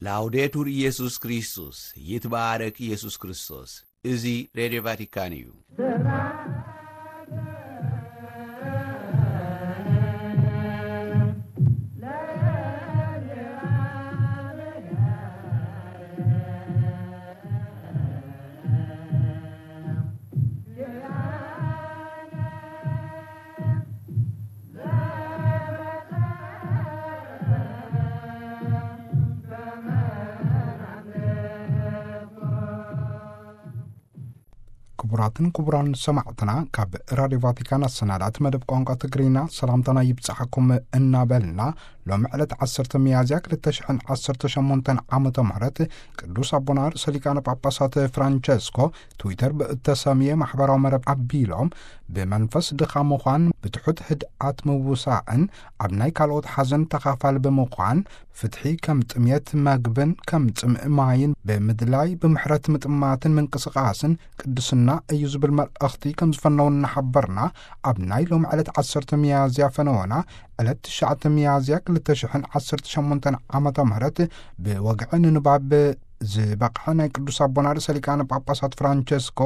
ላውዴቱር ኢየሱስ ክርስቶስ፣ ይትባረክ ኢየሱስ ክርስቶስ። እዚ ሬድዮ ቫቲካን እዩ። ክቡራትን ክቡራን ሰማዕትና፣ ካብ ራድዮ ቫቲካን ኣሰናዳእቲ መደብ ቋንቋ ትግርኛ ሰላምታና ይብጻሕኩም እናበልና፣ ሎሚ ዕለት ዓሰርተ ሚያዝያ ክልተ ሽሕን ዓሰርተ ሸሞንተን ዓመተ ምህረት ቅዱስ ኣቦና ርእሰ ሊቃነ ጳጳሳት ፍራንቸስኮ ትዊተር ብእተሰምየ ማሕበራዊ መረብ ኣቢሎም፣ ብመንፈስ ድኻ ምዃን፣ ብትሑት ህድኣት ምውሳእን ኣብ ናይ ካልኦት ሓዘን ተኻፋሊ ብምዃን፣ ፍትሒ ከም ጥምየት መግብን ከም ጽምእ ማይን ብምድላይ፣ ብምሕረት ምጥማትን ምንቅስቓስን ቅድስና እዩ ዝብል መልእኽቲ ከም ዝፈነው እናሓበርና፣ ኣብ ናይ ሎም ዕለት ዓሰርተ ሚያዝያ ፈነወና፣ ዕለት ትሽዓተ ሚያዝያ ክልተ ሽሕን ዓሰርተ ሸሞንተን ዓመተ ምህረት ብወግዒ ንንባብ ዝበቕዐ ናይ ቅዱስ ኣቦና ርእሰ ሊቃነ ጳጳሳት ፍራንቸስኮ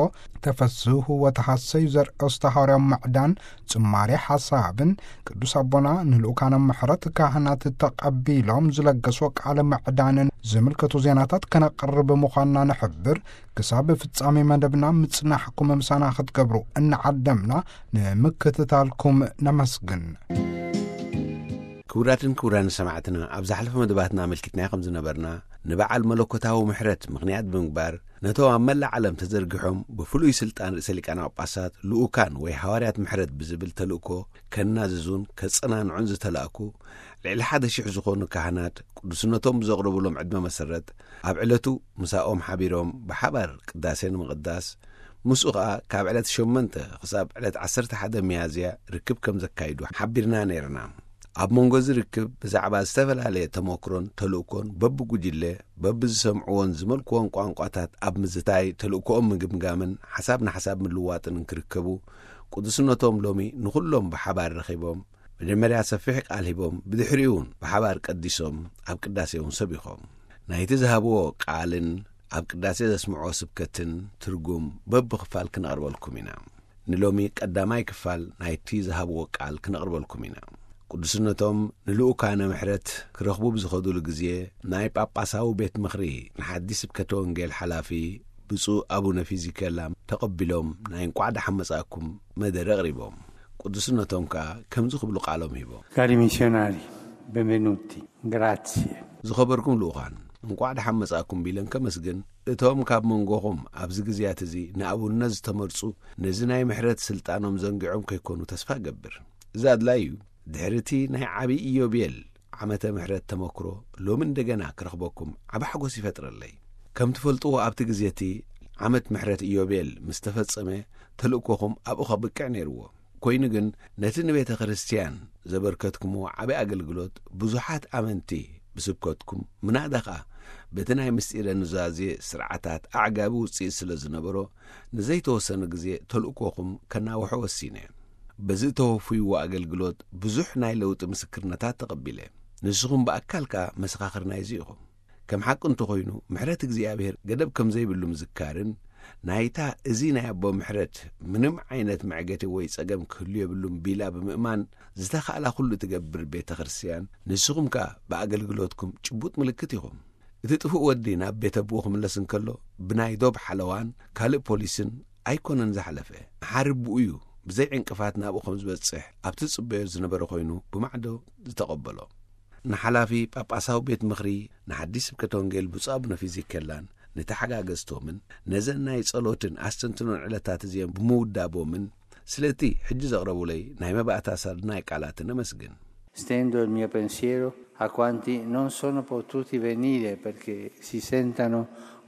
ተፈስሑ ወተሃሰዩ ዘርእዮስተ ሃዋርያዊ ምዕዳን ጽማሬ ሓሳብን፣ ቅዱስ ኣቦና ንልኡካነ ምሕረት ካህናት ተቐቢሎም ዝለገስዎ ቃለ ምዕዳንን ዝምልከቱ ዜናታት ከነቕርብ ምዃንና ንሕብር። ክሳብ ፍጻሜ መደብና ምጽናሕኩም ምሳና ክትገብሩ እናዓደምና፣ ንምክትታልኩም ነመስግን። ክቡራትን ክቡራን ሰማዕትና፣ ኣብ ዝሓለፈ መደባትና ኣመልኪትናዮ ከም ዝነበርና፣ ንበዓል መለኮታዊ ምሕረት ምኽንያት ብምግባር፣ ነቶም ኣብ መላእ ዓለም ተዘርጊሖም ብፍሉይ ስልጣን ርእሰ ሊቃነ ጳጳሳት ልኡካን ወይ ሃዋርያት ምሕረት ብዝብል ተልእኮ ከናዝዙን ከጸናንዑን ዝተላእኩ ልዕሊ ሓደ ሺሕ ዝኾኑ ካህናት፣ ቅዱስነቶም ብዘቕረቡሎም ዕድመ መሰረት፣ ኣብ ዕለቱ ምሳኦም ሓቢሮም ብሓባር ቅዳሴ ንምቕዳስ፣ ምስኡ ኸኣ ካብ ዕለት ሸሞንተ ክሳብ ዕለት ዓሰርተ ሓደ ሚያዝያ ርክብ ከም ዘካይዱ ሓቢርና ነይርና። ኣብ መንጎ እዚ ርክብ ብዛዕባ ዝተፈላለየ ተመክሮን ተልእኮን በብጉጅለ፣ በብዝሰምዕዎን ዝመልክዎን ቋንቋታት ኣብ ምዝታይ፣ ተልእኮኦም ምግምጋምን ሓሳብ ንሓሳብ ምልዋጥን እንክርከቡ፣ ቅዱስነቶም ሎሚ ንኹሎም ብሓባር ረኺቦም፣ መጀመርያ ሰፊሕ ቃል ሂቦም፣ ብድሕሪኡ እውን ብሓባር ቀዲሶም፣ ኣብ ቅዳሴ እውን ሰቢኾም። ናይቲ ዝሃብዎ ቃልን ኣብ ቅዳሴ ዘስምዕዎ ስብከትን ትርጉም በብኽፋል ክነቕርበልኩም ኢና። ንሎሚ ቀዳማይ ክፋል ናይቲ ዝሃብዎ ቃል ክነቕርበልኩም ኢና። ቅዱስነቶም ንልኡካነ ምሕረት ክረኽቡ ብዝኸዱሉ ግዜ፣ ናይ ጳጳሳዊ ቤት ምኽሪ ንሓዲ ስብከተ ወንጌል ሓላፊ ብፁዕ ኣቡነ ፊዚኬላ ተቐቢሎም ናይ እንቋዕ ደሓን መጻእኩም መደረ ኣቕሪቦም። ቅዱስነቶም ከኣ ከምዚ ክብሉ ቃሎም ሂቦም። Cari missionari, benvenuti. Grazie. ዝኸበርኩም ልኡኻን፣ እንቋዕ ደሓን መጻእኩም ቢለን ከመስግን፣ እቶም ካብ መንጎኹም ኣብዚ ግዜያት እዚ ንኣቡነት ዝተመርጹ፣ ነዚ ናይ ምሕረት ስልጣኖም ዘንጊዖም ከይኮኑ ተስፋ እገብር። እዚ ኣድላይ እዩ። ድሕሪ እቲ ናይ ዓቢ ኢዮቤል ዓመተ ምሕረት ተመክሮ፣ ሎሚ እንደገና ክረኽበኩም ዓቢ ሓጎስ ይፈጥረለይ። ከም ትፈልጥዎ፣ ኣብቲ ግዜ እቲ ዓመት ምሕረት ኢዮቤል ምስ ተፈጸመ፣ ተልእኮኹም ኣብኡ ከብቅዕ ነይርዎ። ኮይኑ ግን፣ ነቲ ንቤተ ክርስቲያን ዘበርከትኩምዎ ዓቢ ኣገልግሎት፣ ብዙሓት ኣመንቲ ብስብከትኩም፣ ምናዳ ኸኣ በቲ ናይ ምስጢረ ኑዛዜ ስርዓታት ኣዕጋቢ ውጽኢት ስለ ዝነበሮ፣ ንዘይተወሰነ ግዜ ተልእኮኹም ከናውሖ ወሲነ። በዚ እተወፍይዎ ኣገልግሎት፣ ብዙሕ ናይ ለውጢ ምስክርነታት ተቐቢለ። ንስኹም ብኣካል ከኣ መሰኻኽር ናይዚ ኢኹም። ከም ሓቂ እንተኾይኑ፣ ምሕረት እግዚኣብሔር ገደብ ከም ዘይብሉ ምዝካርን፣ ናይታ እዚ ናይ ኣቦ ምሕረት ምንም ዓይነት መዕገቲ ወይ ጸገም ክህሉ የብሉን ቢላ ብምእማን፣ ዝተኻእላ ኩሉ ትገብር ቤተ ክርስቲያን፣ ንስኹም ከኣ ብኣገልግሎትኩም ጭቡጥ ምልክት ኢኹም። እቲ ጥፉእ ወዲ ናብ ቤት ኣቦኡ ክምለስ እንከሎ፣ ብናይ ዶብ ሓለዋን ካልእ ፖሊስን ኣይኮነን ዝሓለፈ። መሓሪ ኣቦኡ እዩ ብዘይ ዕንቅፋት ናብኡ ከም ዝበጽሕ ኣብ ትጽበዮ ዝነበረ ኮይኑ ብማዕዶ ዝተቐበሎ። ንሓላፊ ጳጳሳዊ ቤት ምኽሪ ንሓድሽ ስብከተ ወንጌል ብፁዕ ኣቡነ ፊዚኬላን ንተሓጋገዝቶምን ነዘን ናይ ጸሎትን ኣስተንትኖን ዕለታት እዚኦም ብምውዳቦምን ስለቲ ሕጂ ዘቕረቡለይ ናይ መባእታ ሳድናይ ቃላትን እመስግን። Stendo il mio pensiero a quanti non sono potuti venire perché si sentano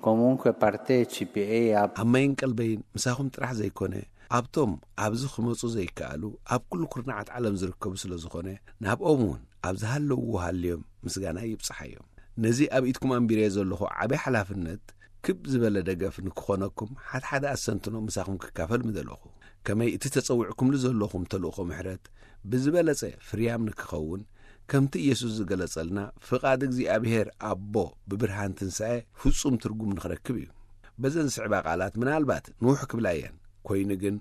comunque partecipi e a ኣብ ማይን ቀልበይን ምሳኹም ጥራሕ ዘይኮነ፣ ኣብቶም ኣብዚ ክመጹ ዘይከኣሉ ኣብ ኩሉ ኩርናዓት ዓለም ዝርከቡ ስለ ዝኾነ፣ ናብኦም እውን ኣብ ዝሃለውዎ ሃልዮም ምስጋና ይብጽሓዮም። ነዚ ኣብ ኢድኩም ኣንቢረዮ ዘለኹ ዓቢ ሓላፍነት ክብ ዝበለ ደገፍ ንክኾነኩም፣ ሓድሓደ ኣስተንትኖ ምሳኹም ክካፈል ምደለኹ። ከመይ እቲ ተጸዊዕኩምሉ ዘለኹም ተልእኾ ምሕረት ብዝበለጸ ፍርያም ንክኸውን፣ ከምቲ ኢየሱስ ዝገለጸልና፣ ፍቓድ እግዚኣብሔር ኣቦ ብብርሃን ትንሳኤ ፍጹም ትርጉም ንኽረክብ እዩ። በዘን ዝስዕባ ቃላት ምናልባት ንውሕ ክብላ እየን። ኮይኑ ግን፣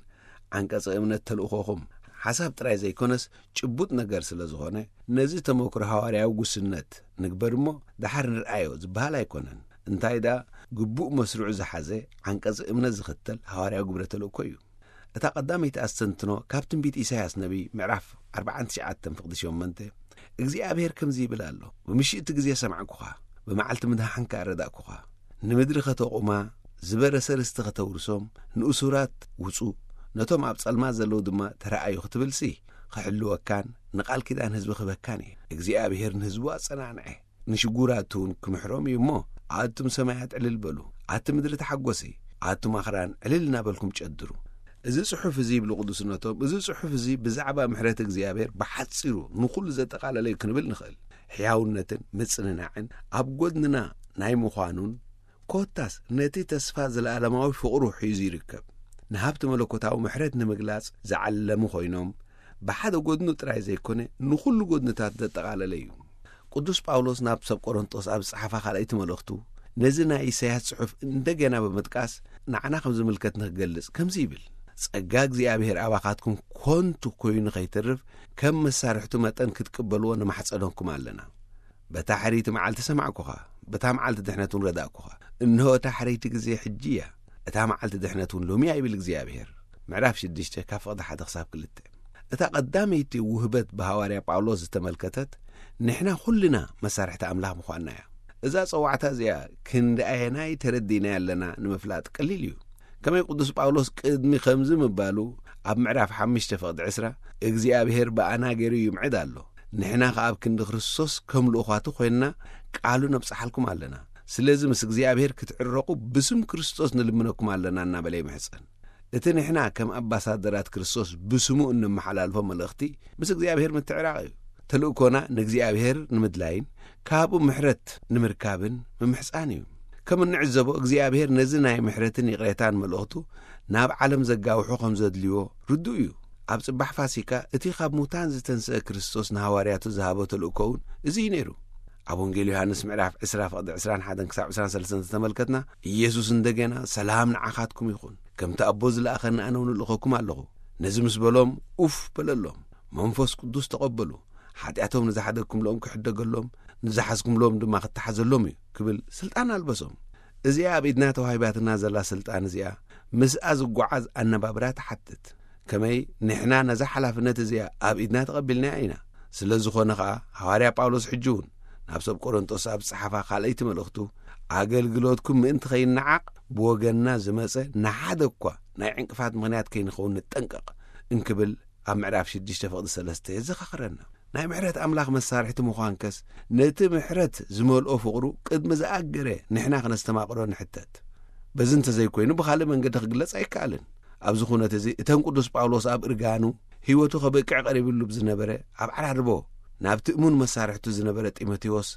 ዓንቀጸ እምነት ተልእኾኹም ሓሳብ ጥራይ ዘይኮነስ ጭቡጥ ነገር ስለ ዝኾነ፣ ነዚ ተመክሮ ሃዋርያዊ ጉስነት ንግበር እሞ፣ ደሓር ንርኣዮ ዝበሃል ኣይኮነን። እንታይ ደኣ፣ ግቡእ መስርዑ ዝሓዘ፣ ዓንቀጸ እምነት ዝኽተል ሃዋርያዊ ግብረ ተልእኮ እዩ። እታ ቀዳመይቲ ኣስተንትኖ ካብ ትንቢት ኢሳያስ ነቢይ ምዕራፍ ኣርባዓን ትሽዓተን ፍቕዲ ሸሞንተ፣ እግዚኣብሔር ከምዚ ይብል ኣሎ፣ "ብምሽእቲ ግዜ ሰማዕኩኻ፣ ብመዓልቲ ምድሓንካ ኣረዳእኩኻ። ንምድሪ ኸተቑማ፣ ዝበረሰ ርስቲ ኸተውርሶም፣ ንእሱራት ውጹ፣ ነቶም ኣብ ጸልማት ዘለዉ ድማ ተረኣዩ" ክትብልሲ፣ ክሕልወካን ንቓል ኪዳን ህዝቢ ክህበካን እየ። እግዚኣብሔር ንህዝቡ ኣጸናንዐ፣ ንሽጉራት እውን ክምሕሮም እዩ እሞ፣ ኣቱም ሰማያት ዕልል በሉ፣ ኣቲ ምድሪ ተሓጎሲ፣ ኣቱም ኣኽራን ዕልል እናበልኩም ጨድሩ። እዚ ጽሑፍ እዚ ይብሉ ቅዱስነቶም፣ እዚ ጽሑፍ እዚ ብዛዕባ ምሕረት እግዚኣብሔር ብሓጺሩ ንኹሉ ዘጠቓለለ እዩ ክንብል ንኽእል። ሕያውነትን ምጽንናዕን ኣብ ጎድንና ናይ ምዃኑን፣ ኮታስ ነቲ ተስፋ ዘለኣለማዊ ፍቕሩ ሒዙ ይርከብ። ንሃብቲ መለኮታዊ ምሕረት ንምግላጽ ዝዓለሙ ኮይኖም፣ ብሓደ ጎድኑ ጥራይ ዘይኮነ፣ ንኹሉ ጎድንታት ዘጠቓለለ እዩ። ቅዱስ ጳውሎስ ናብ ሰብ ቆሮንጦስ ኣብ ዝጸሓፋ ካልኣይቲ መልእኽቱ፣ ነዚ ናይ ኢሳያስ ጽሑፍ እንደገና ብምጥቃስ፣ ንዓና ከም ዝምልከት ንክገልጽ ከምዚ ይብል፣ "ጸጋ እግዚኣብሔር ኣባኻትኩም ኮንቱ ኮይኑ ከይተርፍ፣ ከም መሳርሕቱ መጠን ክትቅበልዎ ንማሕጸነኩም ኣለና። በታ ሕርይቲ መዓልቲ ሰማዕኩኻ፣ በታ መዓልቲ ድሕነት እውን ረዳእኩኻ። እንሆ እታ ሕርይቲ ግዜ ሕጂ እያ፣ እታ መዓልቲ ድሕነት እውን ሎሚ እያ" ይብል እግዚኣብሔር። ምዕራፍ ሽዱሽተ ካብ ፍቕዲ ሓደ ክሳብ ክልተ። እታ ቀዳመይቲ ውህበት ብሃዋርያ ጳውሎስ ዝተመልከተት፣ ንሕና ኩልና መሳርሕቲ ኣምላኽ ምዃንና እያ። እዛ ጸዋዕታ እዚኣ ክንደኣየናይ ተረዲእናያ ኣለና ንምፍላጥ ቀሊል እዩ። ከመይ ቅዱስ ጳውሎስ ቅድሚ ከምዚ ምባሉ ኣብ ምዕራፍ ሓሙሽተ ፍቕዲ ዕስራ፣ "እግዚኣብሔር ብኣና ገይሩ ይምዕድ ኣሎ፣ ንሕና ከኣ ኣብ ክንዲ ክርስቶስ ከም ልኡኻቱ ኮይንና ቃሉ ነብጽሓልኩም ኣለና። ስለዚ ምስ እግዚኣብሔር ክትዕረቑ ብስም ክርስቶስ ንልምነኩም ኣለና" እናበለ ይምሕጸን። እቲ ንሕና ከም ኣምባሳደራት ክርስቶስ ብስሙ እንመሓላልፎ መልእኽቲ ምስ እግዚኣብሔር ምትዕራቕ እዩ። ተልእኮና ንእግዚኣብሔር ንምድላይን ካብኡ ምሕረት ንምርካብን ምምሕጻን እዩ። ከም እንዕዘቦ እግዚኣብሔር ነዚ ናይ ምሕረትን ይቕሬታን መልእኽቱ ናብ ዓለም ዘጋውሖ ከም ዘድልዮ ርዱእ እዩ። ኣብ ጽባሕ ፋሲካ እቲ ካብ ሙታን ዝተንስአ ክርስቶስ ንሃዋርያቱ ዝሃቦ ተልእኮ እውን እዚ እዩ ነይሩ። ኣብ ወንጌል ዮሃንስ ምዕራፍ ዕስራ ፍቕዲ ዕስራን ሓደን ክሳብ ዕስራን ሰለስተን ዝተመልከትና፣ ኢየሱስ እንደገና፣ "ሰላም ንዓኻትኩም ይኹን። ከምቲ ኣቦ ዝለኣኸኒ ኣነ እውን እልእኸኩም ኣለኹ።" ነዚ ምስ በሎም፣ ኡፍ በለሎም። መንፈስ ቅዱስ ተቐበሉ። ሓጢኣቶም ንዝሓደግኩምሎም ክሕደገሎም፣ ንዝሓዝኩምሎም ድማ ክተሓዘሎም እዩ ክብል ስልጣን ኣልበሶም። እዚኣ ኣብ ኢድና ተዋሂባትና ዘላ ስልጣን እዚኣ ምስኣ ዝጓዓዝ ኣነባብራ ትሓትት። ከመይ ንሕና ነዛ ሓላፍነት እዚኣ ኣብ ኢድና ተቐቢልናያ ኢና። ስለ ዝኾነ ኸኣ፣ ሃዋርያ ጳውሎስ ሕጂ እውን ናብ ሰብ ቆሮንጦስ ኣብ ዝጸሓፋ ካልኣይቲ መልእኽቱ፣ "ኣገልግሎትኩም ምእንቲ ኸይነዓቕ ብወገንና ዝመጸ ንሓደ እኳ ናይ ዕንቅፋት ምኽንያት ከይንኸውን ንጠንቀቕ" እንክብል ኣብ ምዕራፍ ሽዱሽተ ፍቕዲ ሰለስተ የዘኻኽረና። ናይ ምሕረት ኣምላኽ መሳርሕቲ ምዃንከስ፣ ነቲ ምሕረት ዝመልኦ ፍቕሩ ቅድሚ ዝኣገረ ንሕና ክነስተማቕሮ ንሕተት። በዚ እንተዘይኮይኑ ብኻልእ መንገዲ ክግለጽ ኣይከኣልን። ኣብዚ ኩነት እዚ እተን ቅዱስ ጳውሎስ ኣብ እርጋኑ ህይወቱ ከብቅዕ ቀሪብሉ ብዝነበረ ኣብ ዓራርቦ ናብቲ እሙን መሳርሕቱ ዝነበረ ጢሞቴዎስ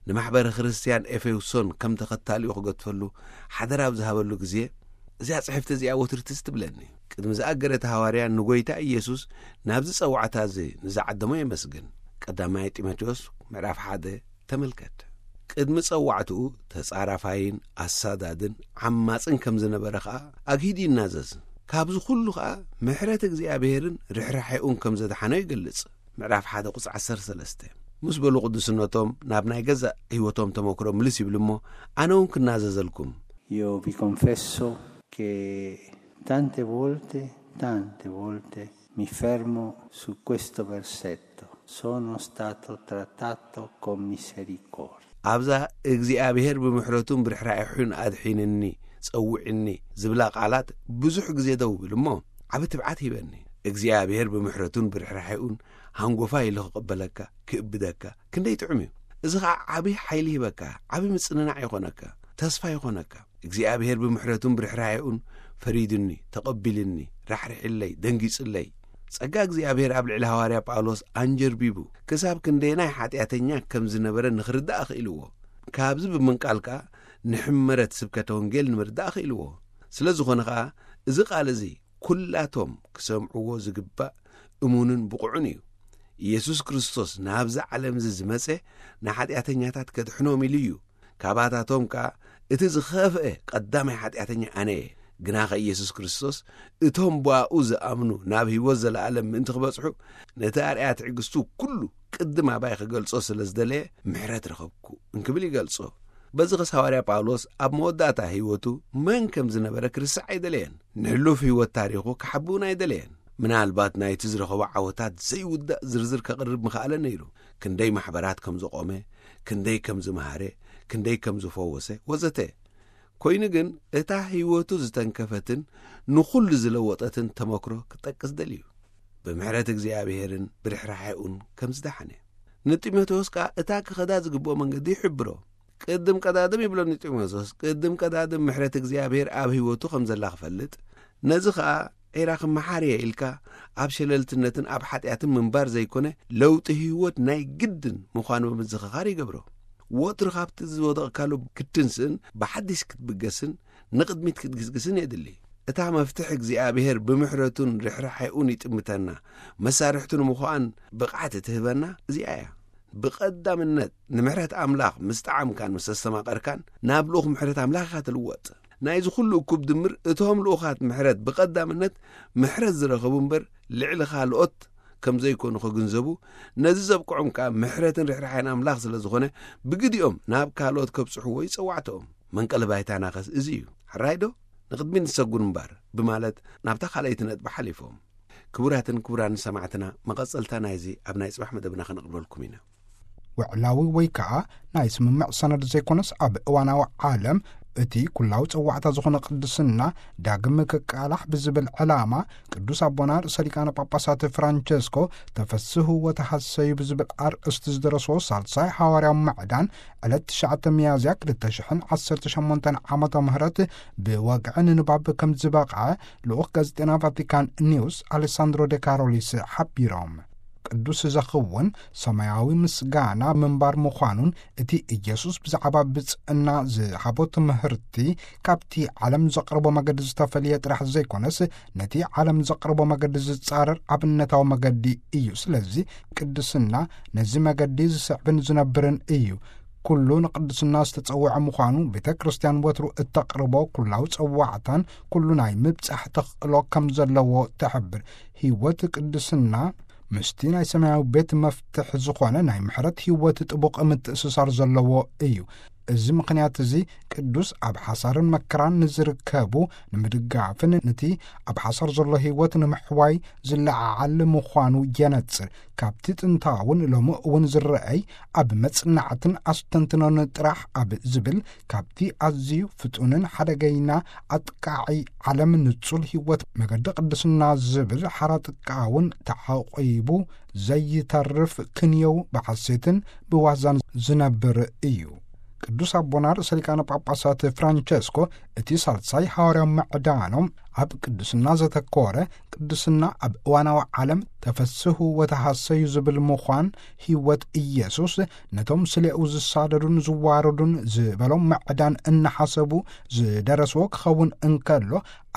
ንማሕበረ ክርስትያን ኤፌሶን ከም ተኸታሊኡ ክገድፈሉ ሓደራ ኣብ ዝሃበሉ ግዜ፣ እዚኣ ጽሕፍቲ እዚኣ ወትሩ ትዝ ትብለኒ። ቅድሚ ዝኣገረ እቲ ሃዋርያ ንጎይታ ኢየሱስ ናብዚ ጸዋዕታ እዚ ንዝዓደሞ የመስግን። ቀዳማይ ጢሞቴዎስ ምዕራፍ ሓደ ተመልከት። ቅድሚ ጸዋዕትኡ ተጻራፋይን ኣሳዳድን ዓማጽን ከም ዝነበረ ኸኣ ኣግሂዱ ይናዘዝ። ካብዚ ኩሉ ኸኣ ምሕረት እግዚኣብሔርን ርሕራሕኡን ከም ዘድሓኖ ይገልጽ። ምዕራፍ ሓደ ቁጽሪ ዓሰርተ ሰለስተ። ምስ በሉ ቅዱስነቶም ናብ ናይ ገዛእ ህይወቶም ተመክሮ ምልስ ይብሉ እሞ፣ ኣነ እውን ክናዘዘልኩም። Io vi confesso che tante volte, tante volte mi fermo su questo versetto. Sono stato trattato con misericordia. ኣብዛ እግዚኣብሔር ብምሕረቱን ብርሕራሕዩን ኣድሒንኒ፣ ጸውዕኒ ዝብላ ቃላት ብዙሕ ግዜ ደው ብል እሞ፣ ዓቢ ትብዓት ሂበኒ። እግዚኣብሔር ብምሕረቱን ብርሕራሕዩን ሃንጎፋ ኢሉ ክቕበለካ፣ ክእብደካ ክንደይ ጥዑም እዩ። እዚ ኸዓ ዓቢ ሓይሊ ሂበካ፣ ዓቢ ምጽንናዕ ይኾነካ፣ ተስፋ ይኾነካ። እግዚኣብሔር ብምሕረቱን ብርሕራሕዩን ፈሪድኒ፣ ተቐቢልኒ፣ ራሕሪሕለይ፣ ደንጊጽለይ። ጸጋ እግዚኣብሔር ኣብ ልዕሊ ሃዋርያ ጳውሎስ ኣንጀርቢቡ፣ ክሳብ ክንደየናይ ሓጢኣተኛ ከም ዝነበረ ንኽርዳእ ኣኽኢልዎ። ካብዚ ብምንቃል ከኣ ንሕመረት ስብከተ ወንጌል ንምርዳእ ኣኽኢልዎ። ስለ ዝኾነ ኸኣ፣ እዚ ቃል እዚ ኩላቶም ክሰምዕዎ ዝግባእ እሙንን ብቑዕን እዩ። ኢየሱስ ክርስቶስ ናብዚ ዓለም እዚ ዝመጸ ንሓጢኣተኛታት ከድሕኖም ኢሉ እዩ። ካባታቶም ከኣ እቲ ዝኸፍአ ቀዳማይ ሓጢኣተኛ ኣነ እየ። ግናኸ ኢየሱስ ክርስቶስ እቶም ብኣኡ ዝኣምኑ ናብ ህይወት ዘለኣለም ምእንቲ ክበጽሑ ነቲ ኣርኣያ ትዕግስቱ ኩሉ ቅድም ኣባይ ክገልጾ ስለ ዝደለየ ምሕረት ረኸብኩ እንክብል ይገልጾ። በዚ ኸስ ሃዋርያ ጳውሎስ ኣብ መወዳእታ ህይወቱ መን ከም ዝነበረ ክርስዕ ኣይደለየን። ንሕሉፍ ህይወት ታሪኹ ክሓቢ እውን ኣይደለየን። ምናልባት ናይቲ ዝረኸቦ ዓወታት ዘይውዳእ ዝርዝር ከቕርብ ምኽኣለ ነይሩ። ክንደይ ማሕበራት ከም ዘቖመ፣ ክንደይ ከም ዝመሃረ፣ ክንደይ ከም ዝፈወሰ ወዘተ። ኮይኑ ግን እታ ህይወቱ ዝተንከፈትን ንኹሉ ዝለወጠትን ተመክሮ ክጠቅስ ደልዩ። ብምሕረት እግዚኣብሔርን ብርሕራሐኡን ከም ዝደሓነ። ንጢሞቴዎስ ከኣ እታ ክኸዳ ዝግብኦ መንገዲ ይሕብሮ። ቅድም ቀዳድም ይብሎ ንጢሞቴዎስ፣ ቅድም ቀዳድም ምሕረት እግዚኣብሔር ኣብ ህይወቱ ከም ዘላ ክፈልጥ፣ ነዚ ኸኣ ዒራ ክመሓር እየ ኢልካ ኣብ ሸለልትነትን ኣብ ሓጢኣትን ምንባር ዘይኮነ፣ ለውጢ ህይወት ናይ ግድን ምዃኑ ብምዝኽኻር ይገብሮ። ወትሩ ካብቲ ዝወደቕካሉ ክትትንስእን ብሓዲሽ ክትብገስን ንቕድሚት ክትግስግስን የድሊ። እታ መፍትሕ እግዚኣብሔር ብምሕረቱን ርሕራሐኡን ይጥምተና፣ መሳርሕቱ ንምዃን ብቕዓት እትህበና እዚኣ እያ። ብቐዳምነት ንምሕረት ኣምላኽ ምስ ጠዓምካን ምስ ኣስተማቐርካን ናብ ልኡኽ ምሕረት ኣምላኽ ኢኻ ትልወጥ። ናይዚ ኩሉ እኩብ ድምር እቶም ልኡኻት ምሕረት ብቐዳምነት ምሕረት ዝረኸቡ እምበር ልዕሊ ካልኦት ከም ዘይኮኑ ክግንዘቡ፣ ነዚ ዘብቅዖም ከኣ ምሕረትን ርሕራሐን ኣምላኽ ስለ ዝኾነ ብግዲኦም ናብ ካልኦት ከብጽሕዎ ይጸዋዕተኦም። መንቀሊ ባይታናኸስ እዚ እዩ። ሕራይ ዶ? ንቕድሚት ንሰጉር እምበር ብማለት ናብታ ካልኣይቲ ነጥቢ ሓሊፎም። ክቡራትን ክቡራን ሰማዕትና፣ መቐጸልታ ናይዚ ኣብ ናይ ጽባሕ መደብና ከነቕርበልኩም ኢና። ውዕላዊ ወይ ከኣ ናይ ስምምዕ ሰነድ ዘይኮነስ ኣብ እዋናዊ ዓለም እቲ ኩላዊ ጸዋዕታ ዝኾነ ቅድስና ዳግም ክቃላሕ ብዝብል ዕላማ ቅዱስ ኣቦና ርእሰ ሊቃነ ጳጳሳት ፍራንቸስኮ ተፈስሑ ወተሃሰዩ ብዝብል ኣርእስቲ ዝደረስዎ ሳልሳይ ሃዋርያዊ ምዕዳን ዕለት ትሽዓተ ሚያዝያ ክልተ ሽሕን ዓሰርተ ሸሞንተን ዓመተ ምህረት ብወግዒ ንንባብ ከም ዝበቕዐ ልኡኽ ጋዜጠና ቫቲካን ኒውስ ኣሌሳንድሮ ዴ ካሮሊስ ሓቢሮም። ቅዱስ ዘኽውን ሰማያዊ ምስጋና ምንባር ምዃኑን እቲ ኢየሱስ ብዛዕባ ብጽዕና ዝሃቦ ትምህርቲ ካብቲ ዓለም ዘቕርቦ መገዲ ዝተፈልየ ጥራሕ ዘይኮነስ ነቲ ዓለም ዘቕርቦ መገዲ ዝጻረር ኣብነታዊ መገዲ እዩ። ስለዚ ቅድስና ነዚ መገዲ ዝስዕብን ዝነብርን እዩ። ኩሉ ንቅድስና ዝተጸውዐ ምዃኑ ቤተ ክርስቲያን ወትሩ እተቕርቦ ኩላዊ ጸዋዕታን ኩሉ ናይ ምብጻሕ ተኽእሎ ከም ዘለዎ ትሕብር። ህይወት ቅድስና ምስቲ ናይ ሰማያዊ ቤት መፍትሕ ዝኾነ ናይ ምሕረት ህይወት ጥቡቕ ምትእስሳር ዘለዎ እዩ። እዚ ምኽንያት እዚ ቅዱስ ኣብ ሓሳርን መከራን ንዝርከቡ ንምድጋፍን ነቲ ኣብ ሓሳር ዘሎ ህይወት ንምሕዋይ ዝለዓዓል ምዃኑ የነጽር። ካብቲ ጥንታውን ሎሚ እውን ዝረኣይ ኣብ መጽናዕትን ኣስተንትኖን ጥራሕ ኣብ ዝብል ካብቲ ኣዝዩ ፍጹንን ሓደገይና ኣጥቃዒ ዓለም ንጹል ህይወት መገዲ ቅድስና ዝብል ሓራ ጥቃውን ተዓቂቡ ዘይተርፍ ክንየው ብሓሴትን ብዋዛን ዝነብር እዩ። ቅዱስ ኣቦና ርእሰ ሊቃነ ጳጳሳት ፍራንቸስኮ እቲ ሳልሳይ ሃዋርያዊ ምዕዳኖም ኣብ ቅድስና ዘተኮረ፣ ቅድስና ኣብ እዋናዊ ዓለም ተፈስሑ ወተሃሰዩ ዝብል ምዃን ህይወት ኢየሱስ ነቶም ስሌኡ ዝሳደዱን ዝዋረዱን ዝበሎም ምዕዳን እናሓሰቡ ዝደረስዎ ክኸውን እንከሎ፣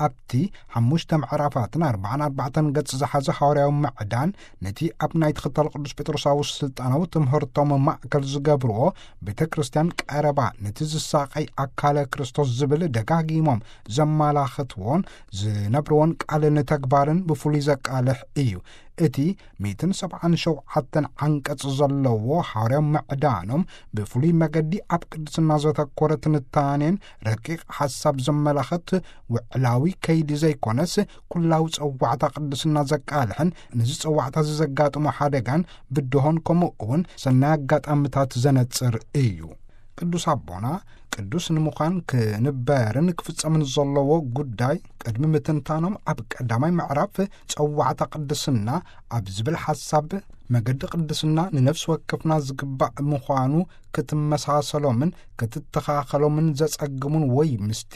ኣብቲ ሓሙሽተ ምዕራፋትን ኣርባዓን ኣርባዕተን ገጽ ዝሓዘ ሃዋርያዊ ምዕዳን ነቲ ኣብ ናይ ትኽተል ቅዱስ ጴጥሮሳዊ ስልጣናዊ ትምህርቶም ማእከል ዝገብርዎ ቤተ ክርስቲያን ቀረባ ነቲ ዝሳቐይ ኣካለ ክርስቶስ ዝብል ደጋጊሞም ዘመላኽትዎን ዝነብርዎን ቃልን ተግባርን ብፍሉይ ዘቃልሕ እዩ። እቲ ሚእትን ሰብዓን ሸውዓተን ዓንቀጽ ዘለዎ ሃዋርያዊ ምዕዳኖም ብፍሉይ መገዲ ኣብ ቅድስና ዘተኮረ ትንታኔን ረቂቕ ሓሳብ ዘመላኽት ውዕላዊ ከይዲ ዘይኮነስ ኩላዊ ጸዋዕታ ቅድስና ዘቃልሕን ነዚ ጸዋዕታ እዚ ዘጋጥሞ ሓደጋን ብድሆን ከምኡ እውን ሰናይ ኣጋጣምታት ዘነጽር እዩ። ቅዱስ ኣቦና ቅዱስ ንምዃን ክንበርን ክፍጸምን ዘለዎ ጉዳይ ቅድሚ ምትንታኖም ኣብ ቀዳማይ ምዕራፍ ጸዋዕታ ቅድስና ኣብ ዝብል ሓሳብ መገዲ ቅድስና ንነፍሲ ወከፍና ዝግባእ ምዃኑ ክትመሳሰሎምን ክትተኻኸሎምን ዘጸግሙን ወይ ምስቲ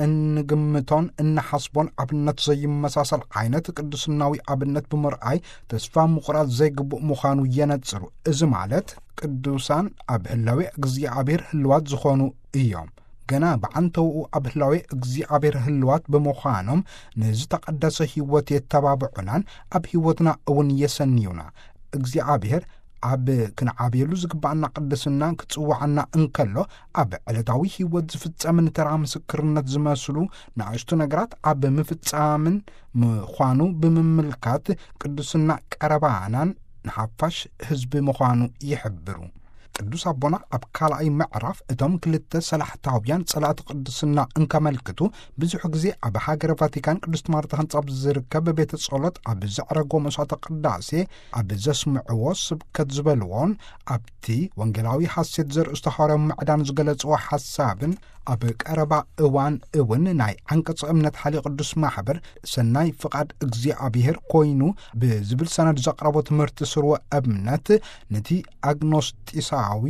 እንግምቶን እንሓስቦን ኣብነት ዘይመሳሰል ዓይነት ቅድስናዊ ኣብነት ብምርኣይ ተስፋ ምቑራጽ ዘይግቡእ ምዃኑ የነጽሩ። እዚ ማለት ቅዱሳን ኣብ ህላዌ እግዚኣብሔር ህልዋት ዝኾኑ እዮም። ገና ብዓንተውኡ ኣብ ህላዌ እግዚኣብሔር ህልዋት ብምዃኖም ንዝተቐደሰ ህይወት የተባብዑናን ኣብ ህይወትና እውን የሰንዩና። እግዚኣብሔር ኣብ ክንዓብየሉ ዝግባኣና ቅድስና ክጽውዓና እንከሎ፣ ኣብ ዕለታዊ ህይወት ዝፍጸም ንተራ ምስክርነት ዝመስሉ ንኣሽቱ ነገራት ኣብ ምፍጻምን ምዃኑ ብምምልካት፣ ቅድስና ቀረባናን ንሓፋሽ ህዝቢ ምዃኑ ይሕብሩ። ቅዱስ ኣቦና ኣብ ካልኣይ ምዕራፍ እቶም ክልተ ሰላሕታውያን ጸላእቲ ቅድስና እንከመልክቱ፣ ብዙሕ ግዜ ኣብ ሃገረ ቫቲካን ቅድስት ማርታ ህንጻ ኣብ ዝርከብ ቤተ ጸሎት ኣብ ዘዕረጎ መስዋዕተ ቅዳሴ ኣብ ዘስምዕዎ ስብከት ዝበልዎን፣ ኣብቲ ወንጌላዊ ሓሴት ዘርእስቶ ሃዋርያዊ ምዕዳን ዝገለጽዎ ሓሳብን፣ ኣብ ቀረባ እዋን እውን ናይ ዓንቀጸ እምነት ሓልዮ ቅዱስ ማሕበር ሰናይ ፍቓድ እግዚኣብሔር ኮይኑ ብዝብል ሰነድ ዘቕረቦ ትምህርቲ ስርወ እምነት፣ ነቲ ኣግኖስጢሳዊ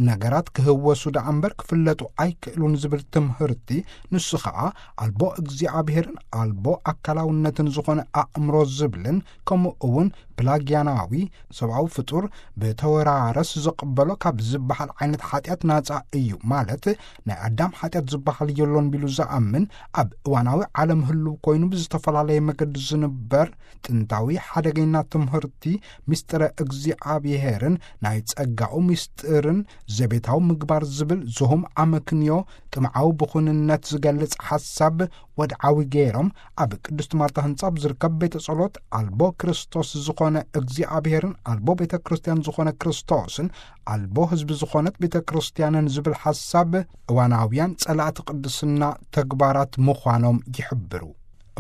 ነገራት ክህወሱ ደኣ እምበር ክፍለጡ ኣይክእሉን ዝብል ትምህርቲ፣ ንሱ ኸኣ ኣልቦ እግዚኣብሔርን ኣልቦ ኣካላውነትን ዝኾነ ኣእምሮ ዝብልን፣ ከምኡ እውን ፕላጊያናዊ ሰብኣዊ ፍጡር ብተወራረስ ዝቕበሎ ካብ ዝበሃል ዓይነት ሓጢኣት ናጻ እዩ፣ ማለት ናይ ኣዳም ሓጢኣት ዝበሃል የሎን ቢሉ ዝኣምን፣ ኣብ እዋናዊ ዓለም ህልው ኮይኑ ብዝተፈላለየ መገዲ ዝንበር ጥንታዊ ሓደገኛ ትምህርቲ ምስጢረ እግዚኣብሔርን ናይ ጸጋኡ ምስጢርን ዘቤታዊ ምግባር ዝብል ዝሁም ኣመክንዮ ጥምዓዊ ብኹንነት ዝገልጽ ሓሳብ ወድዓዊ ገይሮም፣ ኣብ ቅድስት ማርታ ህንጻ ኣብ ዝርከብ ቤተ ጸሎት ኣልቦ ክርስቶስ ዝኾነ እግዚኣብሔርን ኣልቦ ቤተ ክርስቲያን ዝኾነ ክርስቶስን ኣልቦ ህዝቢ ዝኾነት ቤተ ክርስቲያንን ዝብል ሓሳብ እዋናውያን ጸላእቲ ቅድስና ተግባራት ምዃኖም ይሕብሩ።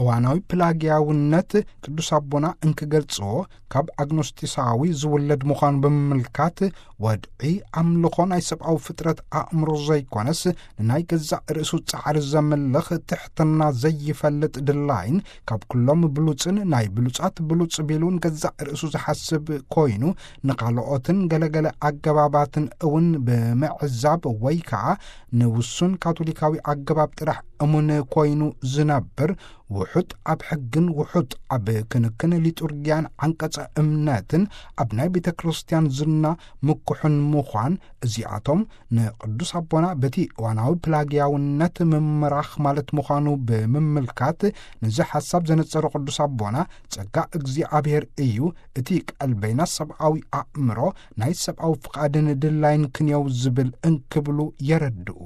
እዋናዊ ፕላጊያውነት ቅዱስ ኣቦና እንክገልጽዎ፣ ካብ ኣግኖስጢሳዊ ዝውለድ ምዃኑ ብምምልካት፣ ወድዒ ኣምልኾ ናይ ሰብኣዊ ፍጥረት ኣእምሮ ዘይኮነስ፣ ንናይ ገዛእ ርእሱ ጻዕሪ ዘምልኽ፣ ትሕትና ዘይፈልጥ ድላይን፣ ካብ ኩሎም ብሉጽን ናይ ብሉጻት ብሉጽ ቢሉ ንገዛእ ርእሱ ዝሓስብ ኮይኑ፣ ንኻልኦትን ገለገለ ኣገባባትን እውን ብምዕዛብ ወይ ከኣ ንውሱን ካቶሊካዊ ኣገባብ ጥራሕ እሙን ኮይኑ ዝነብር፣ ውሑጥ ኣብ ሕግን ውሑጥ ኣብ ክንክን ሊጡርጊያን ዓንቀጸ እምነትን ኣብ ናይ ቤተ ክርስቲያን ዝና ምኩሕን ምዃን፣ እዚኣቶም ንቅዱስ ኣቦና በቲ እዋናዊ ፕላጊያውነት ምምራኽ ማለት ምዃኑ ብምምልካት፣ ነዚ ሓሳብ ዘነጸሩ ቅዱስ ኣቦና፣ ጸጋ እግዚኣብሔር እዩ፣ እቲ ቀልበይና ሰብኣዊ ኣእምሮ ናይ ሰብኣዊ ፍቓድን ድላይን ክንየው ዝብል እንክብሉ የረድኡ።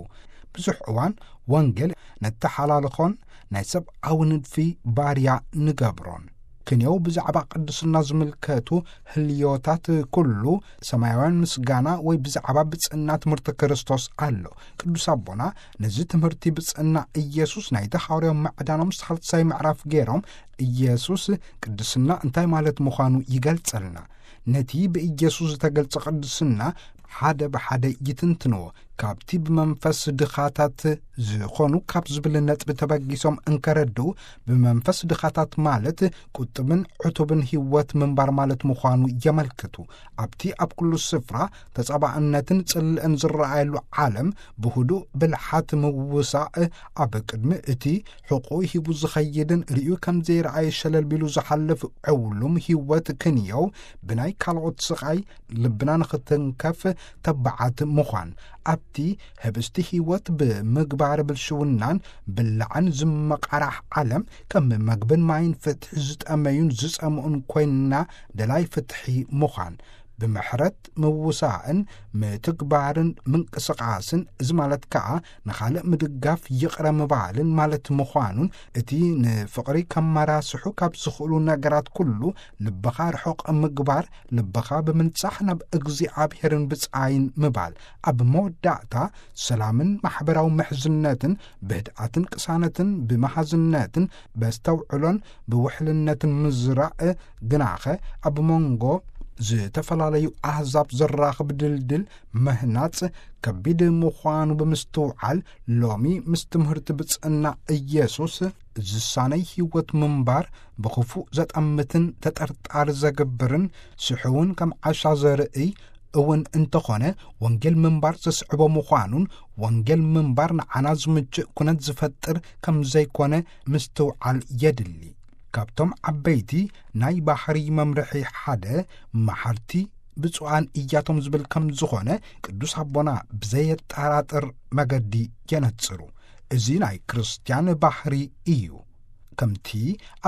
ብዙሕ እዋን ወንጌል ነተሓላልኾን ናይ ሰብኣዊ ንድፊ ባርያ ንገብሮን። ክንየው ብዛዕባ ቅድስና ዝምልከቱ ህልዮታት ኩሉ ሰማያውያን ምስጋና ወይ ብዛዕባ ብጽእና ትምህርቲ ክርስቶስ ኣሎ። ቅዱስ ኣቦና ነዚ ትምህርቲ ብጽእና ኢየሱስ ናይቲ ሃዋርያዊ ምዕዳኖም ሳልሳይ ምዕራፍ ገይሮም፣ ኢየሱስ ቅድስና እንታይ ማለት ምዃኑ ይገልጸልና። ነቲ ብኢየሱስ ዝተገልጸ ቅድስና ሓደ ብሓደ ይትንትንዎ። ካብቲ ብመንፈስ ድኻታት ዝኾኑ ካብ ዝብል ነጥቢ ተበጊሶም እንከረድኡ፣ ብመንፈስ ድኻታት ማለት ቁጥብን ዕቱብን ህይወት ምንባር ማለት ምዃኑ የመልክቱ። ኣብቲ ኣብ ኩሉ ስፍራ ተጻባእነትን ጽልእን ዝረኣየሉ ዓለም፣ ብህዱእ ብልሓት ምውሳእ፣ ኣብ ቅድሚ እቲ ሕቁ ሂቡ ዝኸይድን ርእዩ ከም ዘይረኣየ ሸለል ቢሉ ዝሓልፍ ዕውሉም ህይወት ክንየው፣ ብናይ ካልኦት ስቓይ ልብና ንኽትንከፍ ተባዓት ምዃን፣ ኣብቲ ህብስቲ ህይወት ብምግባር ብልሽውናን ብላዕን ዝመቓራሕ ዓለም፣ ከም መግብን ማይን ፍትሒ ዝጠመዩን ዝጸምኡን ኮይንና፣ ደላይ ፍትሒ ምዃን፣ ብምሕረት ምውሳእን ምትግባርን ምንቅስቓስን፣ እዚ ማለት ከኣ ንኻልእ ምድጋፍ ይቕረ ምባልን ማለት ምዃኑን፣ እቲ ንፍቕሪ ከመራስሑ ካብ ዝኽእሉ ነገራት ኩሉ ልብኻ ርሑቕ ምግባር፣ ልብኻ ብምንጻሕ ናብ እግዚኣብሔርን ብጻይን ምባል። ኣብ መወዳእታ፣ ሰላምን ማሕበራዊ ምሕዝነትን፣ ብህድኣትን ቅሳነትን፣ ብመሃዝነትን፣ በስተውዕሎን ብውሕልነትን ምዝራእ፣ ግናኸ ኣብ መንጎ ዝተፈላለዩ ኣህዛብ ዘራኽብ ድልድል ምህናጽ ከቢድ ምዃኑ ብምስትውዓል፣ ሎሚ ምስ ትምህርቲ ብጽእና ኢየሱስ ዝሳነይ ህይወት ምንባር ብኽፉእ ዘጠምትን ተጠርጣሪ ዘገብርን፣ ስሕውን ከም ዓሻ ዘርእይ እውን እንተኾነ፣ ወንጌል ምንባር ዘስዕቦ ምዃኑን፣ ወንጌል ምንባር ንዓና ዝምችእ ኩነት ዝፈጥር ከም ዘይኮነ ምስትውዓል የድሊ። ካብቶም ዓበይቲ ናይ ባህሪ መምርሒ ሓደ፣ መሓርቲ ብፁዓን እያቶም ዝብል ከም ዝኾነ፣ ቅዱስ ኣቦና ብዘየጠራጥር መገዲ የነጽሩ። እዚ ናይ ክርስትያን ባህሪ እዩ። ከምቲ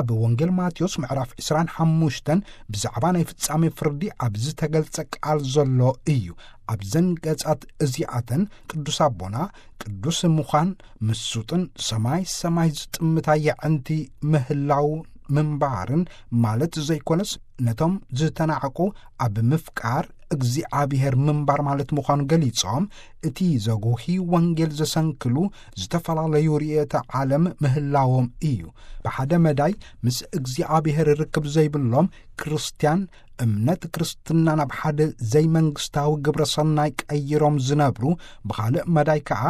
ኣብ ወንጌል ማቴዎስ ምዕራፍ ዕስራን ሓሙሽተን ብዛዕባ ናይ ፍጻሜ ፍርዲ ኣብ ዝተገልጸ ቃል ዘሎ እዩ። ኣብዘን ገጻት እዚኣተን ቅዱስ ኣቦና ቅዱስ ምዃን፣ ምሱጥን ሰማይ ሰማይ ዝጥምታ የዕንቲ ምህላው ምንባርን ማለት ዘይኮነስ፣ ነቶም ዝተናዕቁ ኣብ ምፍቃር እግዚኣብሔር ምንባር ማለት ምዃኑ ገሊጾም፣ እቲ ዘጉሂ ወንጌል ዘሰንክሉ ዝተፈላለዩ ርእየተ ዓለም ምህላዎም እዩ። ብሓደ መዳይ ምስ እግዚኣብሔር ርክብ ዘይብሎም ክርስትያን፣ እምነት ክርስትና ናብ ሓደ ዘይመንግስታዊ ግብረ ሰናይ ቀይሮም ዝነብሩ፣ ብኻልእ መዳይ ከኣ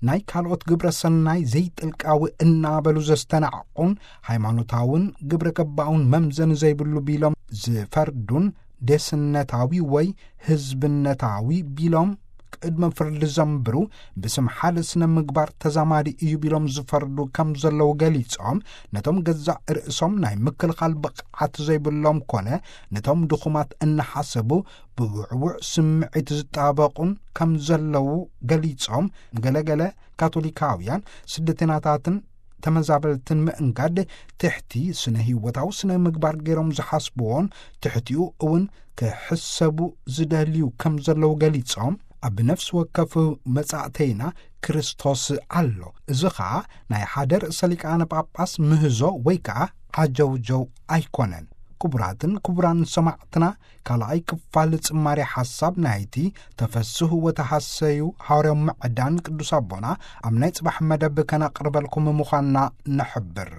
ናይ ካልኦት ግብረ ሰናይ ዘይጥልቃዊ እናበሉ ዘስተናዕቁን፣ ሃይማኖታውን ግብረ ገባውን መምዘኒ ዘይብሉ ቢሎም ዝፈርዱን፣ ደስነታዊ ወይ ህዝብነታዊ ቢሎም ቅድመ ፍርዲ ዘንብሩ፣ ብስም ሓደ ስነ ምግባር ተዛማዲ እዩ ቢሎም ዝፈርዱ ከም ዘለዉ ገሊጾም፣ ነቶም ገዛእ ርእሶም ናይ ምክልኻል ብቕዓት ዘይብሎም ኮነ ነቶም ድኹማት እናሓሰቡ ብውዕውዕ ስምዒት ዝጣበቑን ከም ዘለዉ ገሊጾም፣ ገለገለ ካቶሊካውያን ስደተናታትን ተመዛበልትን ምእንጋድ ትሕቲ ስነ ህይወታዊ ስነ ምግባር ገይሮም ዝሓስብዎን ትሕቲኡ እውን ክሕሰቡ ዝደልዩ ከም ዘለዉ ገሊጾም፣ ኣብ ነፍሲ ወከፍ መጻእተይና ክርስቶስ ኣሎ። እዚ ኸኣ ናይ ሓደ ርእሰ ሊቃነ ጳጳስ ምህዞ ወይ ከኣ ዓጀውጀው ኣይኮነን። ክቡራትን ክቡራን ሰማዕትና፣ ካልኣይ ክፋል ጽማሬ ሓሳብ ናይቲ ተፈስሑ ወተሃሰዩ ሃዋርያዊ ምዕዳን ቅዱስ ኣቦና ኣብ ናይ ጽባሕ መደብ ከነቕርበልኩም ምዃንና ንሕብር።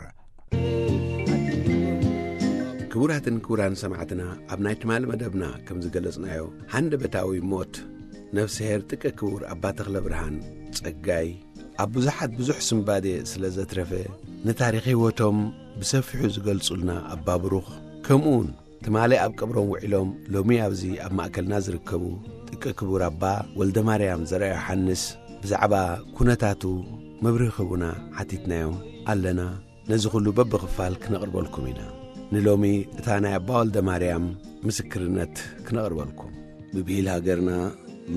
ክቡራትን ክቡራን ሰማዕትና፣ ኣብ ናይ ትማሊ መደብና ከም ዝገለጽናዮ፣ ሃንደበታዊ ሞት ነፍስሄር ጥቀ ክቡር ኣባ ተኽለ ብርሃን ጸጋይ ኣብ ብዙሓት ብዙሕ ስንባዴ ስለ ዘትረፈ፣ ንታሪኽ ህይወቶም ብሰፊሑ ዝገልጹልና ኣባ ብሩኽ፣ ከምኡውን ትማሊ ኣብ ቀብሮም ውዒሎም ሎሚ ኣብዚ ኣብ ማእከልና ዝርከቡ ጥቀ ክቡር ኣባ ወልደ ማርያም ዘርኣ ዮሃንስ ብዛዕባ ኩነታቱ መብርሂ ክህቡና ሓቲትናዮም ኣለና። ነዚ ኩሉ በብኽፋል ክነቕርበልኩም ኢና። ንሎሚ እታ ናይ ኣባ ወልደ ማርያም ምስክርነት ክነቕርበልኩም። ብብሂል ሃገርና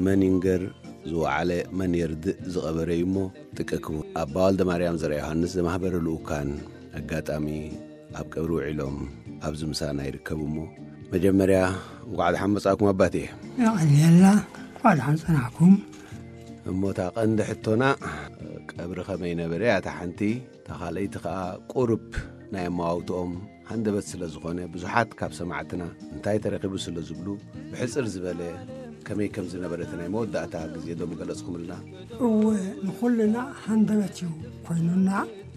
መን ይንገር ዝወዓለ መን የርድእ ዝቐበረ እዩ እሞ፣ ጥቀ ክቡር ኣባ ወልደ ማርያም ዘርኣ ዮሃንስ ዘማህበረ ልኡካን ኣጋጣሚ ኣብ ቀብሪ ውዒሎም ኣብዚ ምሳና ይርከቡ እሞ፣ መጀመርያ እንኳዕ ደሓን መጻእኩም ኣባቴ። የቐንየልና፣ እንኳዕ ደሓን ጸናሕኩም። እሞ እታ ቀንዲ ሕቶና፣ ቀብሪ ከመይ ነበረ? እያ እታ ሓንቲ። እታ ካልኣይቲ ከኣ ቁሩብ ናይ ኣመዋውትኦም ሃንደበት ስለ ዝኾነ፣ ብዙሓት ካብ ሰማዕትና እንታይ ተረኺቡ ስለ ዝብሉ፣ ብሕጽር ዝበለ ከመይ ከም ዝነበረ እቲ ናይ መወዳእታ ግዜ ዶ ምገለጽኩምልና? እወ፣ ንኹልና ሃንደበት እዩ ኮይኑና።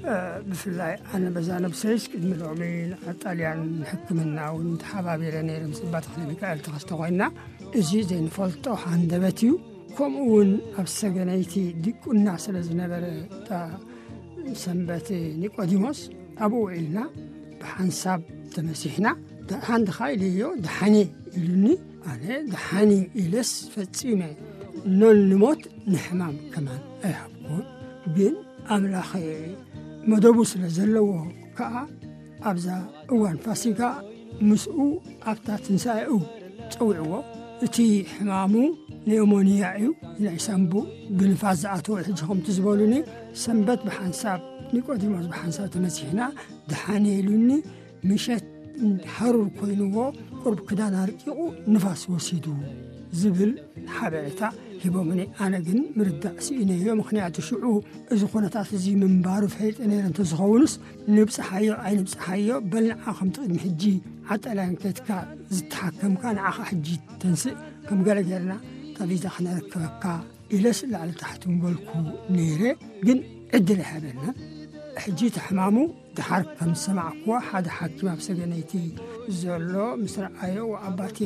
እ፣ ብፍላይ ኣነ በዛ ነብሰይስ ቅድሚ ሎሚ ንጣልያን ንሕክምና እውን ተሓባቢረ ነይረ ምስ ኣባ ተኽለ ሚካኤል ተኸስተ ኮይና። እዚ ዘይንፈልጦ ሃንደበት እዩ። ከምኡ እውን ኣብ ሰገነይቲ ዲቁና ስለ ዝነበረ እታ ሰንበት ኒቆዲሞስ ኣብኡ ውዒልና ብሓንሳብ ተመሲሕና። ደሓን ድኻ ኢለዮ፣ ደሓን እየ ኢሉኒ። ኣነ ደሓን እዩ ኢለስ ፈጺመ ኖን ንሞት ንሕማም ከማን ኣይሃብኩን። ግን ኣምላኽ መደቡ ስለ ዘለዎ ከኣ ኣብዛ እዋን ፋሲጋ ምስኡ ኣብታ ትንሳኤኡ ጸዊዕዎ። እቲ ሕማሙ ኔሞንያ እዩ፣ ናይ ሳንቡእ ብንፋስ ዝኣተወ። ሕጂ ከምቲ ዝበሉኒ ሰንበት ብሓንሳብ ኒቆዲሞስ ብሓንሳብ ተመሲሕና ደሓን እየ ኢሉኒ። ምሸት ሃሩር ኮይንዎ ቁሩብ ክዳን ኣርቂቑ ንፋስ ወሲዱ ዝብል ሓበሬታ ሂቦምኒ። ኣነ ግን ምርዳእ ስኢነዮ። ምኽንያቱ ሽዑ እዚ ኩነታት እዚ ምንባሩ ፈሊጠ ነይረ እንተዝኸውንስ ንብጽሓዮ ኣይንብጽሓዮ፣ በል ንዓ ከምቲ ቅድሚ ሕጂ ዓጠላን ከድካ ዝተሓከምካ ንዓኻ ሕጂ ተንስእ፣ ከም ገለ ጌርና እታ ቪዛ ክነረክበካ ኢለስ ላዕሊ ታሕቲ ምበልኩ ነይረ። ግን ዕድል ኣይሃበናን። ሕጂ እቲ ሕማሙ ድሓር ከም ዝሰማዕክዎ ሓደ ሓኪም ኣብ ሰገነይቲ ዘሎ ምስ ረኣዮ፣ "ኣባቴ፣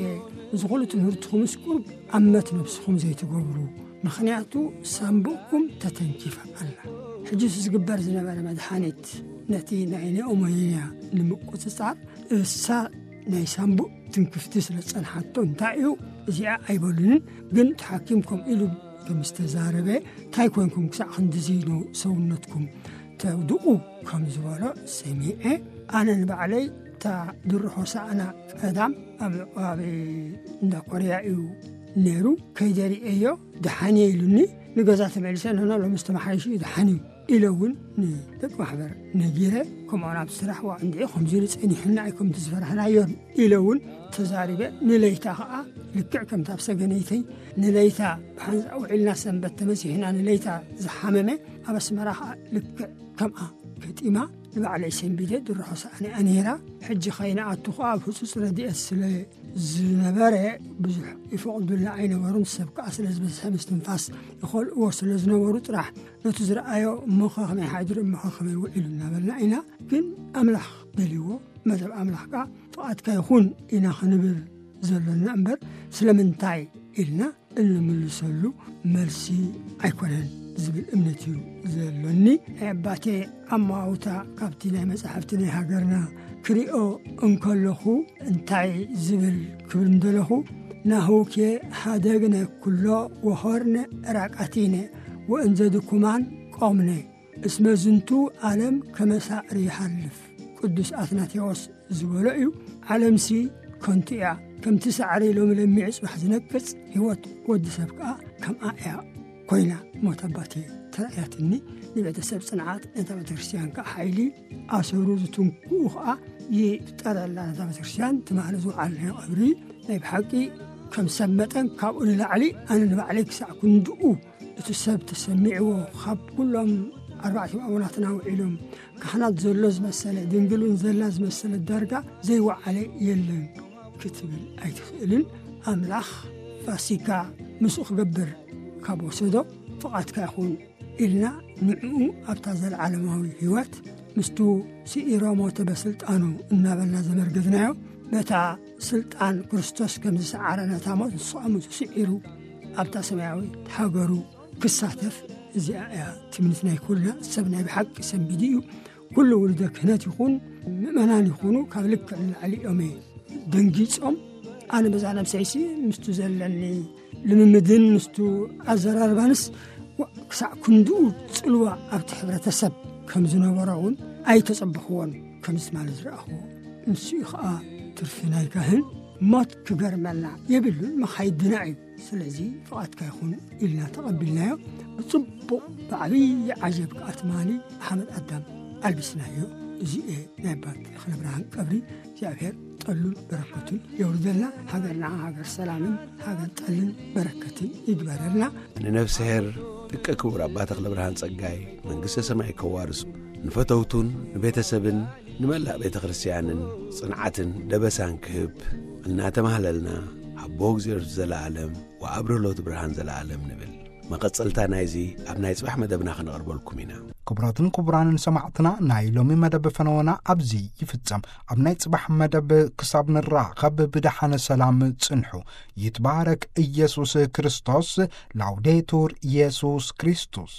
እዚ ኩሉ ትምህርትኹምስ ቁሩብ ኣመት ነብስኹም ዘይትገብሩ፣ ምኽንያቱ ሳንቡእኩም ተተንኪፋ ኣላ። ሕጂ እቲ ዝግበር ዝነበረ መድሓኒት ነቲ ናይ ኒኦሞንያ ንምቁጽጻር እሳ ናይ ሳንቡእ ትንክፍቲ ስለ ዝጸንሓቶ እንታይ እዩ እዚኣ ኣይበሉንን፣ ግን እቲ ሓኪም ከምኡ ኢሉ ከም ዝተዛረበ እንታይ ኮንኩም ክሳዕ ክንድዚ ነው ሰውነትኩም ተውድቑ?" ከም ዝበሎ ሰሚዐ። ኣነ ንባዕለይ እታ ድሮ ሆሳዕና ቀዳም ኣብ፣ ኣብ እንዳ ኮርያ እዩ ነይሩ፣ ከይደ ርእየዮ ደሓን እየ ኢሉኒ። ንገዛ ተመሊሰ፣ ንሕና ሎምስ ተመሓይሹ እዩ፣ ደሓን እዩ ኢለ እውን ንደቂ ማሕበር ነጊረ። ከምኡ ናብ ስራሕ ዋ እንድዒ ከምዚ ኢሉ ጸኒሑና እዩ፣ ከምቲ ዝፈራሕናዮን ኢለ እውን ተዛሪበ። ንለይታ ኸዓ ልክዕ ከምታ ኣብ ሰገነይተይ ንለይታ ብሓንሳእ ውዒልና ሰንበት ተመሲሕና ንለይታ ዝሓመመ ኣብ ኣስመራ ኸዓ ልክዕ ከምኣ ገጢማ ንባዕለይ ሰንቢደ ድሮ ሆሳዕናኣ ነይራ። ሕጂ ከይንኣቱ ኸዓ ኣብ ህጹጽ ረድኤት ስለ ዝነበረ ብዙሕ ይፈቕዱልና ኣይነበሩን። ሰብ ከኣ ስለ ዝበዝሐ ምስትንፋስ ይኸልእዎ ስለ ዝነበሩ ጥራሕ ነቲ ዝረኣዮ እሞ ኸ ከመይ ሓዲሩ እሞ ኸ ከመይ ውዒሉ እናበልና ኢና። ግን ኣምላኽ ደልይዎ መደብ ኣምላኽ ከኣ ፍቓድካ ይኹን ኢና ክንብል ዘሎና እምበር ስለምንታይ ኢልና እንምልሰሉ መልሲ ኣይኮነን ዝብል እምነት እዩ ዘሎኒ። ናይ ኣባቴ ኣማውታ ካብቲ ናይ መጻሕፍቲ ናይ ሃገርና ክሪኦ እንከለኹ እንታይ ዝብል ክብል እንደለኹ፣ ናሁኬ ሃደግነ ኩሎ ወሆርነ ራቃቲነ ወእንዘ ድኩማን ቆምነ እስመ ዝንቱ ዓለም ከመ ሳዕሪ ይሓልፍ። ቅዱስ ኣትናቴዎስ ዝበሎ እዩ። ዓለምሲ ከንቱ እያ፣ ከምቲ ሳዕሪ ሎሚ ለሚዑ ጽባሕ ዝነቅጽ፣ ህይወት ወዲ ሰብ ከኣ ከምኣ እያ ኮይና። ሞት ኣባቴ ተራእያትኒ፣ ንቤተሰብ ጽንዓት፣ ነታ ቤተክርስትያን ከኣ ሓይሊ፣ ኣሰሩ ዝትንክኡ ከኣ ይፍጠረላ። ነታ ቤተክርስትያን ትማሊ ዝወዓልናዮ ቀብሪ ናይ ብሓቂ ከም ሰብ መጠን ካብኡ ንላዕሊ ኣነ ንባዕለይ ክሳዕ ክንድኡ እቲ ሰብ ተሰሚዕዎ፣ ካብ ኩሎም ኣርባዕተ ኣቡናትና ውዒሎም ካህናት ዘሎ ዝመሰለ፣ ድንግል እውን ዘላ ዝመሰለ ዳርጋ ዘይወዓለ የለን ክትብል ኣይትኽእልን። ኣምላኽ ፋሲካ ምስኡ ክገብር ካብ ወሰዶ፣ ፍቓድካ ይኹን ኢልና ንዕኡ ኣብታ ዘለዓለማዊ ህይወት ምስቱ ስዒሮ ሞተ በስልጣኑ እናበልና ዘመርገዝናዮ፣ በታ ስልጣን ክርስቶስ ከም ዝሰዓረ ነታ ሞት ንሱ ከኣ ምስኡ ስዒሩ ኣብታ ሰማያዊት ሃገሩ ክሳተፍ፣ እዚኣ እያ ትምኒት ናይ ኩልና። ሰብ ናይ ብሓቂ ሰንቢዱ እዩ። ኩሉ ውሉደ ክህነት ይኹን ምእመናን ይኹኑ ካብ ልክዕ ንላዕሊ እዮም ደንጊጾም። ኣነ በዛ ነብሰይሲ ምስቱ ዘለኒ ልምምድን ምስቱ ኣዘራርባንስ ዋ-፣ ክሳዕ ክንድኡ ጽልዋ ኣብቲ ሕብረተሰብ ከም ዝነበሮ እውን ኣይተጸበኽዎን። ከምዚ ማለት ዝረኣኽዎ ንሱ እዩ ኸኣ ትርፊ ናይ ካህን። ሞት ክገርመና የብሉን፣ መኻይድና እዩ። ስለዚ ፍቓድካ ይኹን ኢልና ተቐቢልናዮ። ብጽቡቕ ብዓብዪ ዓጀብ ከኣ ትማሊ ሓመድ ኣዳም ኣልቢስናዮ። እዚ እየ ናይ ኣባ ተኽለ ብርሃን ቀብሪ። እግዚኣብሔር ጠሉን በረከቱን የውርደልና። ሃገርና ሃገር ሰላምን ሃገር ጠልን በረከትን ይግበረልና። ንነፍስሄር ጥቀ ክቡር ኣባ ተኽለ ብርሃን ጸጋይ መንግስተ ሰማይ ከዋርሱ፣ ንፈተውቱን ንቤተሰብን ንመላእ ቤተ ክርስቲያንን ጽንዓትን ደበሳን ክህብ እናተማህለልና፣ ኣቦ እግዚኣብሔር ዘለዓለም ወኣብርህ ሎቱ ብርሃን ዘለዓለም ንብል። መቐጸልታ ናይዚ ኣብ ናይ ጽባሕ መደብና ከነቕርበልኩም ኢና። ክቡራትን ክቡራንን ሰማዕትና፣ ናይ ሎሚ መደብ ፈነወና ኣብዚ ይፍጸም። ኣብ ናይ ጽባሕ መደብ ክሳብ ንራኸብ ብደሓነ ሰላም ጽንሑ። ይትባረክ ኢየሱስ ክርስቶስ። ላውዴቱር ኢየሱስ ክርስቶስ።